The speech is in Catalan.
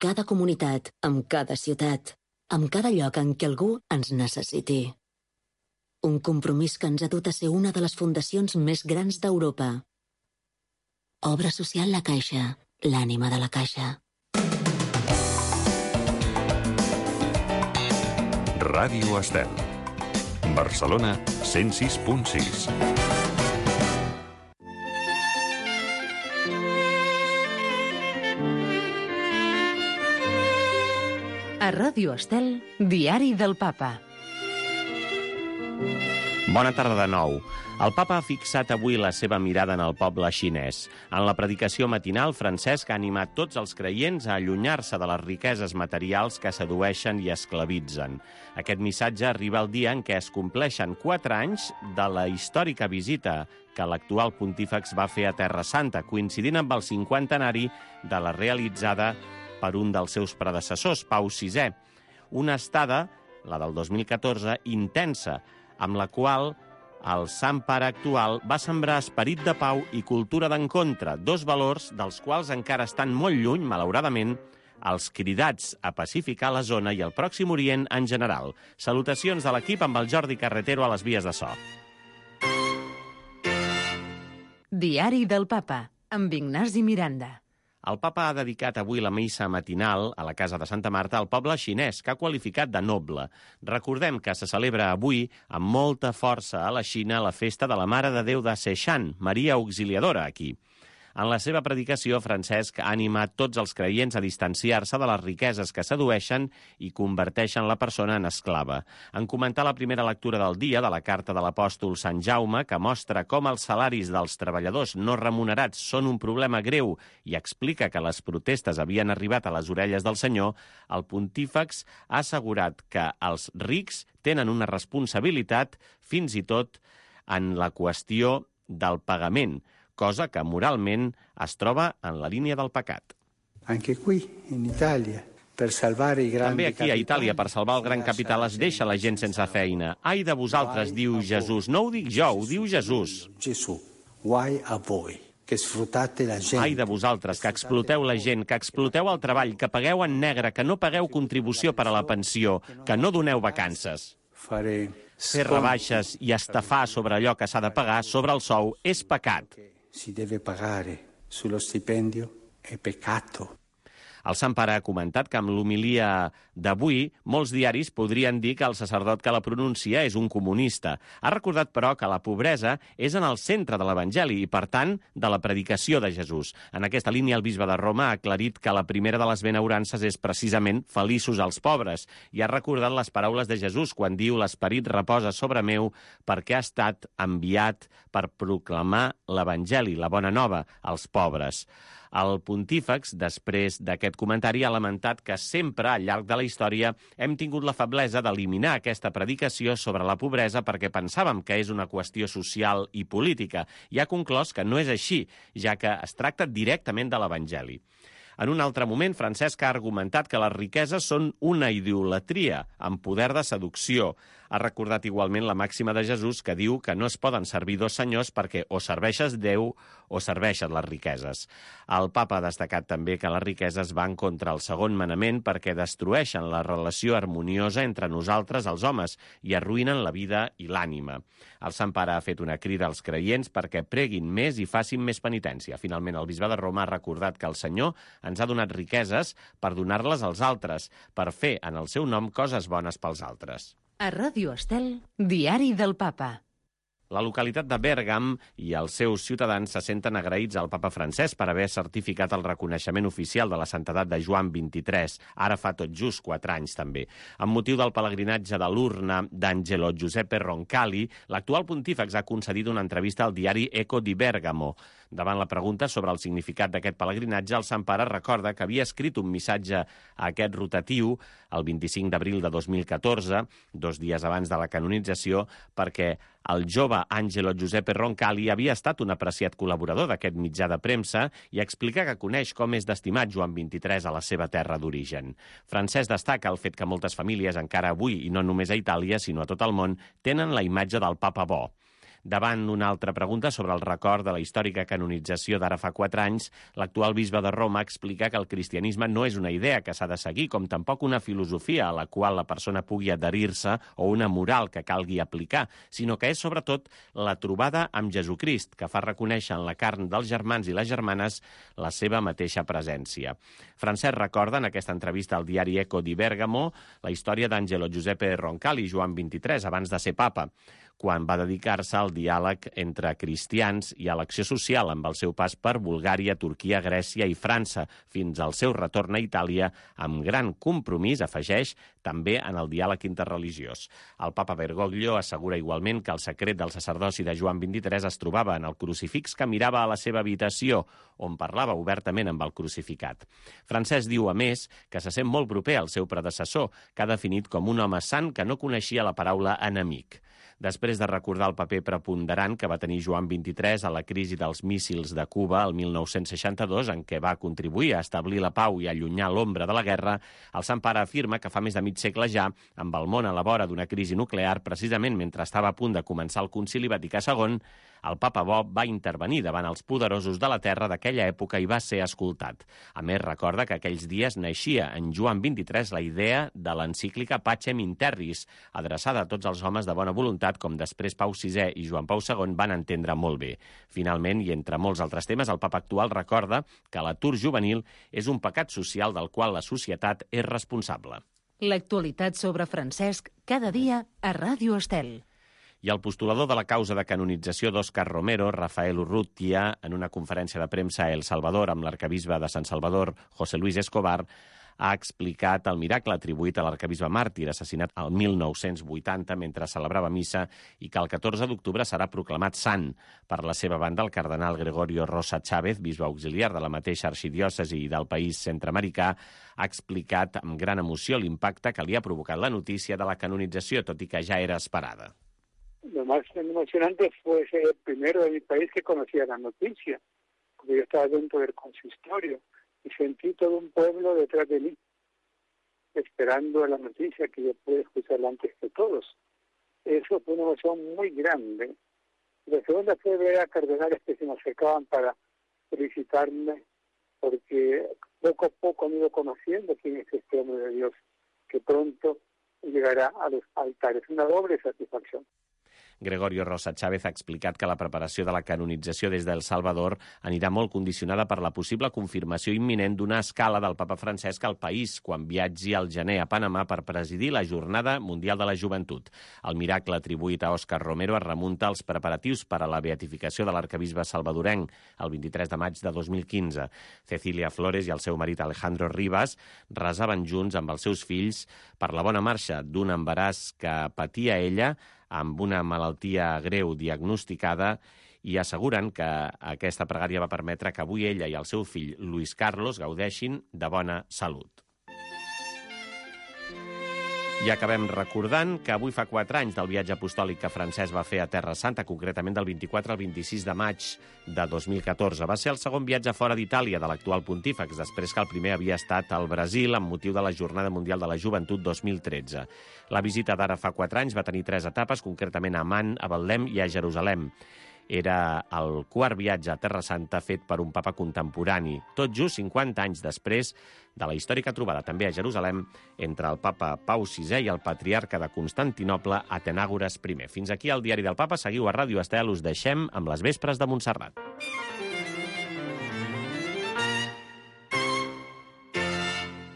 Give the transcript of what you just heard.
cada comunitat, amb cada ciutat, amb cada lloc en què algú ens necessiti. Un compromís que ens ha dut a ser una de les fundacions més grans d'Europa. Obra social La Caixa, l'ànima de la Caixa. Ràdio Estel. Barcelona 106.6. A Ràdio Estel, Diari del Papa. Bona tarda de nou. El papa ha fixat avui la seva mirada en el poble xinès. En la predicació matinal, Francesc ha animat tots els creients a allunyar-se de les riqueses materials que sedueixen i esclavitzen. Aquest missatge arriba el dia en què es compleixen 4 anys de la històrica visita que l'actual pontífex va fer a Terra Santa, coincidint amb el 50enari de la realitzada per un dels seus predecessors, Pau VI. Una estada, la del 2014, intensa, amb la qual el Sant Pare actual va sembrar esperit de pau i cultura d'encontre, 2 valors dels quals encara estan molt lluny, malauradament, els cridats a pacificar la zona i el Pròxim Orient en general. Salutacions de l'equip amb el Jordi Carretero a les vies de so. Diari del Papa, amb Ignasi Miranda. El papa ha dedicat avui la missa matinal a la casa de Santa Marta al poble xinès, que ha qualificat de noble. Recordem que se celebra avui amb molta força a la Xina la festa de la Mare de Déu de Seixan, Maria Auxiliadora, aquí. En la seva predicació, Francesc ha animat tots els creients a distanciar-se de les riqueses que sedueixen i converteixen la persona en esclava. En comentar la primera lectura del dia de la carta de l'apòstol Sant Jaume, que mostra com els salaris dels treballadors no remunerats són un problema greu i explica que les protestes havien arribat a les orelles del Senyor, el pontífex ha assegurat que els rics tenen una responsabilitat fins i tot en la qüestió del pagament, cosa que moralment es troba en la línia del pecat. També aquí a Itàlia, per salvar el gran capital, es deixa la gent sense feina. Ai de vosaltres, diu Jesús. No ho dic jo, ho diu Jesús. Ai de vosaltres, que exploteu la gent, que exploteu el treball, que pagueu en negre, que no pagueu contribució per a la pensió, que no doneu vacances. Fer rebaixes i estafar sobre allò que s'ha de pagar, sobre el sou, és pecat. Si deve pagare sullo stipendio è peccato. El Sant Pare ha comentat que amb l'homilia d'avui molts diaris podrien dir que el sacerdot que la pronuncia és un comunista. Ha recordat, però, que la pobresa és en el centre de l'Evangeli i, per tant, de la predicació de Jesús. En aquesta línia, el bisbe de Roma ha aclarit que la primera de les benaurances és precisament feliços els pobres i ha recordat les paraules de Jesús quan diu «L'esperit reposa sobre meu perquè ha estat enviat per proclamar l'Evangeli, la bona nova, als pobres». El pontífex, després d'aquest comentari, ha lamentat que sempre, al llarg de la història, hem tingut la feblesa d'eliminar aquesta predicació sobre la pobresa perquè pensàvem que és una qüestió social i política, i ha conclòs que no és així, ja que es tracta directament de l'Evangeli. En un altre moment, Francesc ha argumentat que les riqueses són una idolatria amb poder de seducció. Ha recordat igualment la màxima de Jesús que diu que no es poden servir 2 senyors perquè o serveixes Déu o serveixes les riqueses. El papa ha destacat també que les riqueses van contra el segon manament perquè destrueixen la relació harmoniosa entre nosaltres, els homes, i arruïnen la vida i l'ànima. El Sant Pare ha fet una crida als creients perquè preguin més i facin més penitència. Finalment, el bisbe de Roma ha recordat que el Senyor ens ha donat riqueses per donar-les als altres, per fer en el seu nom coses bones pels altres. A Ràdio Estel, Diari del Papa. La localitat de Bèrgam i els seus ciutadans se senten agraïts al papa Francesc per haver certificat el reconeixement oficial de la santedat de Joan XXIII, ara fa tot just 4 anys també. Amb motiu del pelegrinatge de l'urna d'Angelo Giuseppe Roncalli, l'actual pontífex ha concedit una entrevista al diari Eco di Bergamo. Davant la pregunta sobre el significat d'aquest pelegrinatge, el Sant Pare recorda que havia escrit un missatge a aquest rotatiu el 25 d'abril de 2014, 2 dies abans de la canonització, perquè el jove Angelo Giuseppe Roncalli havia estat un apreciat col·laborador d'aquest mitjà de premsa i explica que coneix com és d'estimat Joan XXIII a la seva terra d'origen. Francesc destaca el fet que moltes famílies encara avui, i no només a Itàlia, sinó a tot el món, tenen la imatge del papa bo. Davant una altra pregunta sobre el record de la històrica canonització d'ara fa 4 anys, l'actual bisbe de Roma explica que el cristianisme no és una idea que s'ha de seguir, com tampoc una filosofia a la qual la persona pugui adherir-se o una moral que calgui aplicar, sinó que és sobretot la trobada amb Jesucrist, que fa reconèixer en la carn dels germans i les germanes la seva mateixa presència. Francesc recorda en aquesta entrevista al diari Eco di Bergamo la història d'Angelo Giuseppe Roncalli, Joan XXIII, abans de ser papa, quan va dedicar-se al diàleg entre cristians i a l'acció social amb el seu pas per Bulgària, Turquia, Grècia i França, fins al seu retorn a Itàlia, amb gran compromís, afegeix, també en el diàleg interreligiós. El papa Bergoglio assegura igualment que el secret del sacerdoci de Joan XXIII es trobava en el crucifix que mirava a la seva habitació, on parlava obertament amb el crucificat. Francesc diu, a més, que se sent molt proper al seu predecessor, que ha definit com un home sant que no coneixia la paraula enemic. Després de recordar el paper preponderant que va tenir Joan XXIII a la crisi dels míssils de Cuba el 1962, en què va contribuir a establir la pau i allunyar l'ombra de la guerra, el Sant Pare afirma que fa més de mig segle ja, amb el món a la vora d'una crisi nuclear, precisament mentre estava a punt de començar el Concili Vaticà II, el papa Bob va intervenir davant els poderosos de la terra d'aquella època i va ser escoltat. A més, recorda que aquells dies naixia en Joan XXIII la idea de l'encíclica Pacem in Terris, adreçada a tots els homes de bona voluntat, com després Pau VI i Joan Pau II van entendre molt bé. Finalment, i entre molts altres temes, el papa actual recorda que l'atur juvenil és un pecat social del qual la societat és responsable. L'actualitat sobre Francesc, cada dia a Ràdio Estel. I el postulador de la causa de canonització d'Òscar Romero, Rafael Urrutia, en una conferència de premsa a El Salvador amb l'arcabisbe de Sant Salvador, José Luis Escobar, ha explicat el miracle atribuït a l'arcabisbe màrtir, assassinat el 1980 mentre celebrava missa, i que el 14 d'octubre serà proclamat sant. Per la seva banda, el cardenal Gregorio Rosa Chávez, bisbe auxiliar de la mateixa arxidiòcesi del país centreamericà, ha explicat amb gran emoció l'impacte que li ha provocat la notícia de la canonització, tot i que ja era esperada. Lo más emocionante fue ser el primero de mi país que conocía la noticia, porque yo estaba dentro del consistorio y sentí todo un pueblo detrás de mí, esperando la noticia que yo pude escucharla antes que todos. Eso fue una emoción muy grande. La segunda fue ver a cardenales que se me acercaban para felicitarme, porque poco a poco han ido conociendo quién es este hombre de Dios, que pronto llegará a los altares. Una doble satisfacción. Gregorio Rosa Chávez ha explicat que la preparació de la canonització des d'El Salvador anirà molt condicionada per la possible confirmació imminent d'una escala del papa Francesc al país quan viatgi al gener a Panamà per presidir la Jornada Mundial de la Joventut. El miracle atribuït a Òscar Romero es remunta als preparatius per a la beatificació de l'arcabisbe salvadorenc el 23 de maig de 2015. Cecília Flores i el seu marit Alejandro Rivas resaven junts amb els seus fills per la bona marxa d'un embaràs que patia ella amb una malaltia greu diagnosticada i asseguren que aquesta pregària va permetre que avui ella i el seu fill Luis Carlos gaudeixin de bona salut. I acabem recordant que avui fa 4 anys del viatge apostòlic que Francesc va fer a Terra Santa, concretament del 24 al 26 de maig de 2014. Va ser el segon viatge fora d'Itàlia de l'actual pontífex, després que el primer havia estat al Brasil amb motiu de la Jornada Mundial de la Joventut 2013. La visita d'ara fa 4 anys va tenir 3 etapes, concretament a Amman, a Betlem i a Jerusalem. Era el quart viatge a Terra Santa fet per un papa contemporani, tot just 50 anys després de la històrica trobada també a Jerusalem entre el papa Pau VI i el patriarca de Constantinoble, Atenàgores I. Fins aquí el Diari del Papa. Seguiu a Ràdio Estel, us deixem amb les vespres de Montserrat.